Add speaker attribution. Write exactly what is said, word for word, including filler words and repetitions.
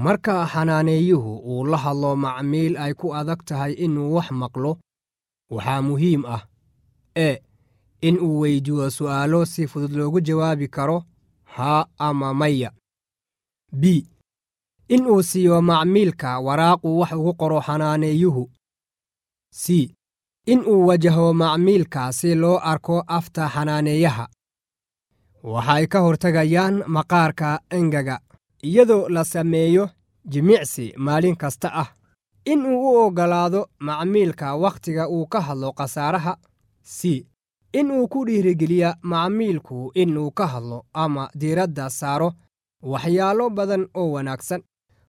Speaker 1: Marka xanaaneeyuhu uu la hadlo macmiil ay ku adag tahay inuu wax maqlo, waxaa muhiim ah: e In uu weydiiyo su'aalo si fudud loogu jawaabi karo haa ama maya. b In uu siiyo macmiilka waraaq uu wax ugu qoro xanaaneeyuhu. c In uu wajaho macmiilka si loo arko afta xanaaneeyaha. Waxay ka hortagayaan maqaarka engaga iyadoo la sameeyo jimicsi maalin kasta ah. In uu u oggolaado macmiilka wakhtiga uu ka hadlo khasaaraha. c In uu ku dhiirigeliya macmiilku inuu ka hadlo ama diiradda saaro waxyaalo badan oo wanaagsan.